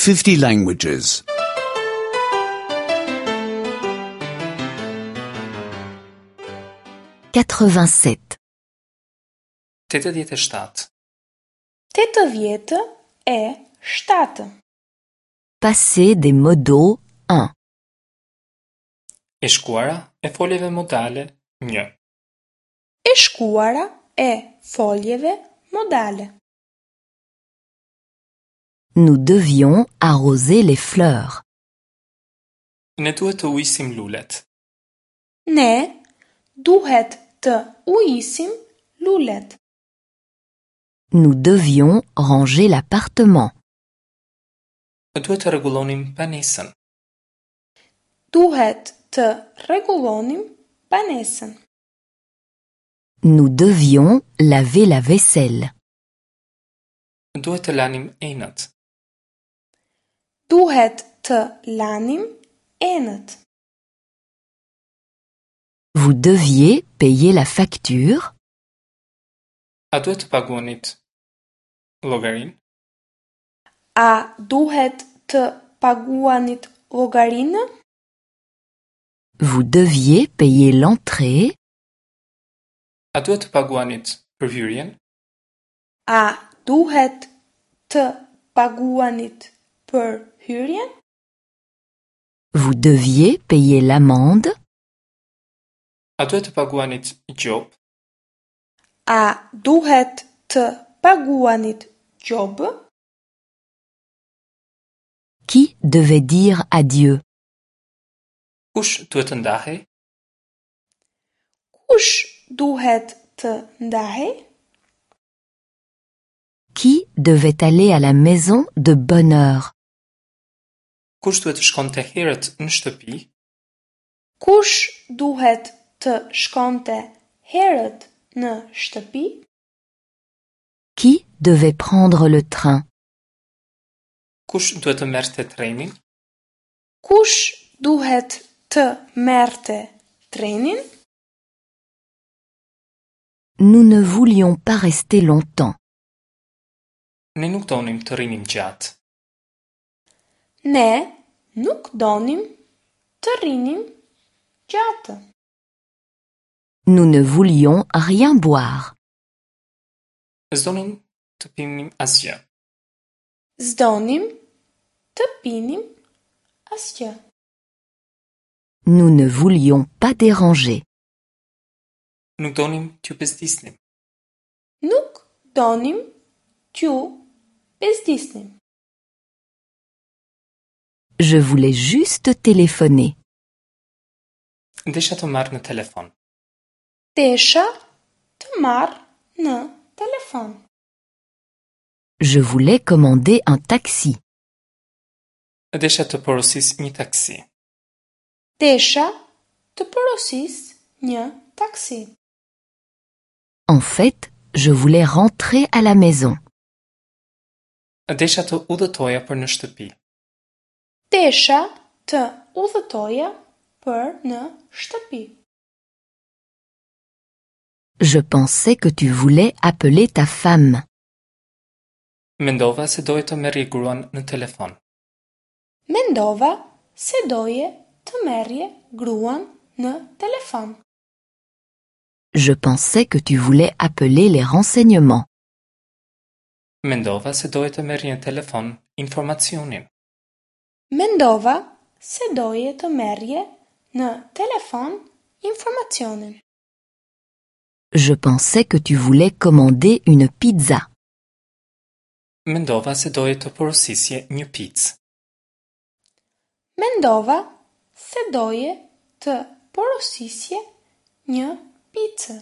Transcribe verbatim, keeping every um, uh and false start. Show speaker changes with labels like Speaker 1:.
Speaker 1: fifty languages.
Speaker 2: quatre-vingt-sept.
Speaker 3: Tetëdhjetë e shtatë.
Speaker 4: Tetëdhjetë e shtatë.
Speaker 2: Passé des modaux un.
Speaker 3: E shkuara e foljeve modale një.
Speaker 4: E shkuara e foljeve modale.
Speaker 2: Nous devions arroser les fleurs.
Speaker 3: Ne duhet të ujisim lulet.
Speaker 4: Ne duhet të ujisim lulet.
Speaker 2: Nous devions ranger l'appartement.
Speaker 3: Duhet të rregullonim banesën.
Speaker 4: Duhet të rregullonim banesën.
Speaker 2: Nous devions laver la vaisselle.
Speaker 3: Duhet të lanim enët.
Speaker 4: Duhet të lanim enët.
Speaker 2: Vous deviez payer la facture.
Speaker 3: A duhet të paguanit llogarinë?
Speaker 4: A duhet të paguanit llogarinë?
Speaker 2: Vous deviez payer l'entrée.
Speaker 3: A duhet të paguanit për hyrjen?
Speaker 4: A duhet të paguanit për hyrjen?
Speaker 2: Vous deviez payer l'amende.
Speaker 3: A duhet të paguanit gjobë?
Speaker 4: A duhet të paguanit gjobë?
Speaker 2: Qui devait dire adieu?
Speaker 3: Kush duhet të ndahej?
Speaker 4: Kush duhet të ndahej?
Speaker 2: Qui devait aller à la maison de bonne heure?
Speaker 3: Kush duhet të shkonte herët në shtëpi?
Speaker 4: Kush duhet të shkonte herët në shtëpi?
Speaker 2: Qui devait prendre le train?
Speaker 3: Kush duhet të merrte trenin?
Speaker 4: Kush duhet të merrte trenin?
Speaker 2: Nous ne voulions pas rester longtemps.
Speaker 3: Ne nuk donim të rrinim gjatë.
Speaker 4: Ne nuk donim të rrinim gjatë.
Speaker 2: Nous ne voulions rien boire.
Speaker 3: S'donim të pinim asgjë.
Speaker 4: S'donim të pinim asgjë.
Speaker 2: Nous ne voulions pas déranger.
Speaker 3: Nuk donim t'ju bezdisnim.
Speaker 4: Nuk donim t'ju bezdisnim.
Speaker 2: Je voulais juste téléphoner.
Speaker 3: Desha të marr në telefon.
Speaker 4: Desha të marr në telefon.
Speaker 2: Je voulais commander un taxi.
Speaker 3: Desha të porosis një taksi.
Speaker 4: Desha të porosis një taksi.
Speaker 2: En fait, je voulais rentrer à la maison.
Speaker 3: Desha të udhëtoja për në shtëpi.
Speaker 4: Desha të udhëtoja për në shtëpi.
Speaker 2: Je pensais que tu voulais appeler ta femme.
Speaker 3: Mendova se doje të merrje gruan në telefon.
Speaker 4: Mendova se doje të merrje gruan në telefon.
Speaker 2: Je pensais que tu voulais appeler les renseignements.
Speaker 3: Mendova se doje të merrje në telefon informacionin.
Speaker 4: Mendova se doje të merrje në telefon informacionin.
Speaker 2: Je pensais que tu voulais commander une pizza.
Speaker 3: Mendova se doje të porosisje një picë.
Speaker 4: Mendova se doje të porosisje një picë.